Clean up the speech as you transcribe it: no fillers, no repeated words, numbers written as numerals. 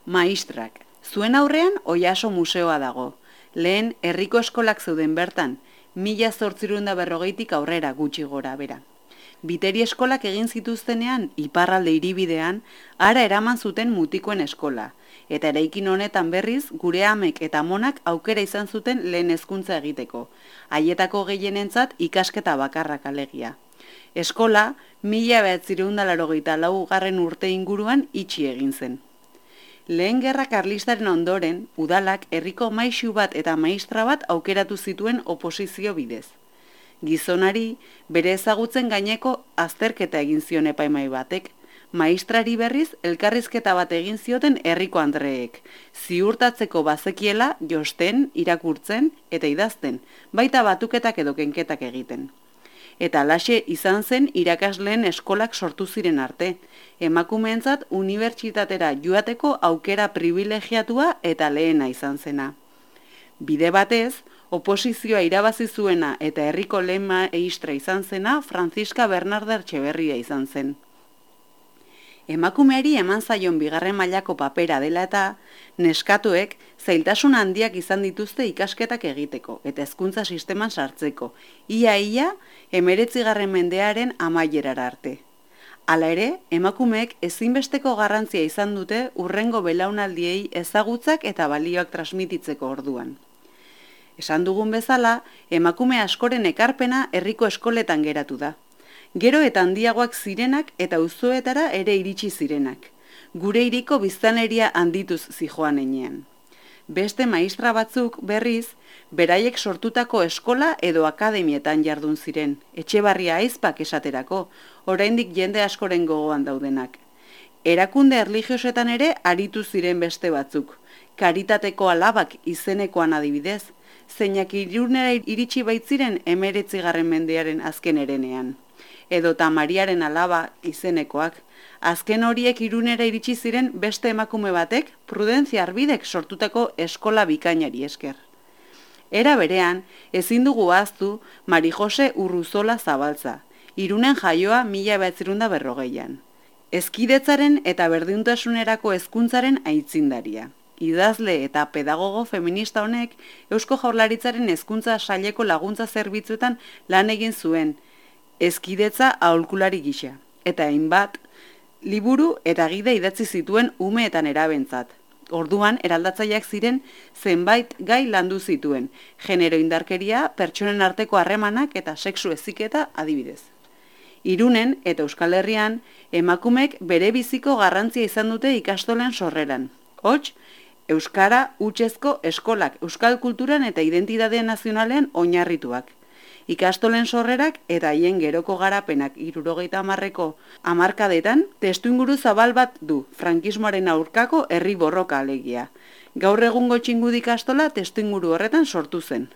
Maistrak, zuen aurrean Oiaso museoa dago. Lehen herriko eskolak zeuden bertan, 1840tik aurrera gutxi gora bera. Biteri eskolak egin zituztenean, iparralde hiribidean, hara eraman zuten mutikoen eskola, eta eraikin honetan berriz, gure amek eta amonak aukera izan zuten lehen hezkuntza egiteko, haietako gehienentzat ikasketa bakarrak alegia. Eskola, 1984 urte inguruan itxi egin zen. Lehen gerra karlistaren ondoren, udalak herriko maixu bat eta maistra bat aukeratu zituen oposizio bidez. Gizonari, bere ezagutzen gaineko azterketa egin zion epaimai batek, maistrari berriz elkarrizketa bat egin zioten herriko andreek, ziurtatzeko bazekiela josten, irakurtzen eta idazten, baita batuketak edo kenketak egiten. Eta alaxe izan zen irakasleen eskolak sortu ziren arte, emakumeentzat unibertsitatera joateko aukera privilegiatua eta lehena izan zena. Bide batez, oposizioa irabazi zuena eta herriko lehen maistra izan zena Franziska Bernarda Etxeberria izan zen. Emakumeari eman zaion bigarren mailako papera dela eta neskatuek zailtasun handiak izan dituzte ikasketak egiteko eta hezkuntza sisteman sartzeko, ia 19. mendearen amaierara arte. Hala ere, emakumeek ezinbesteko garrantzia izan dute hurrengo belaunaldiei ezagutzak eta balioak transmititzeko orduan. Esan dugun bezala, emakume askoren ekarpena herriko eskoletan geratu da. Gero eta handiagoak zirenak eta auzoetara ere iritsi zirenak. Gure hiriko biztanleria handituz zijoan heinean. Beste maistra batzuk berriz, beraiek sortutako eskola edo akademietan jardun ziren, Etxebarria Aizpak esaterako, oraindik jende askoren gogoan daudenak. Erakunde erlijiosetan ere aritu ziren beste batzuk, Karitateko Alabak izenekoan adibidez, zeinak Irunera iritsi baitziren 19. mendearen azken herenean. Edota Mariaren Alaba izenekoak, azken horiek Irunera iritsi ziren beste emakume batek Prudentzia Arbidek sortutako eskola bikainari esker. Era berean, ezin dugu ahaztu Mari Jose Urruzola Zabaltza, Irunen jaioa 1940an. Hezkidetzaren eta berdintasunerako hezkuntzaren aitzindaria. Idazle eta pedagogo feminista honek Eusko Jaurlaritzaren hezkuntza saileko laguntza zerbitzuetan lan egin zuen, hezkidetza aholkulari gisa, eta hainbat liburu eta gida idatzi zituen ume eta nerabentzat. Orduan, eraldatzaileak ziren zenbait gai landu zituen, genero indarkeria, pertsonen arteko harremanak eta sexu heziketa adibidez. Irunen eta Euskal Herrian, emakumek bere biziko garrantzia izan dute ikastolen sorreran. Hots, euskara hutsezko eskolak euskal kulturan eta identitate nazionalean oinarrituak. Ikastolen sorrerak eta haien geroko garapenak 70ko hamarkadetan testuinguru zabal bat du, frankismoaren aurkako herri borroka alegia. Gaur egungo Txingudi ikastola testuinguru horretan sortu zen.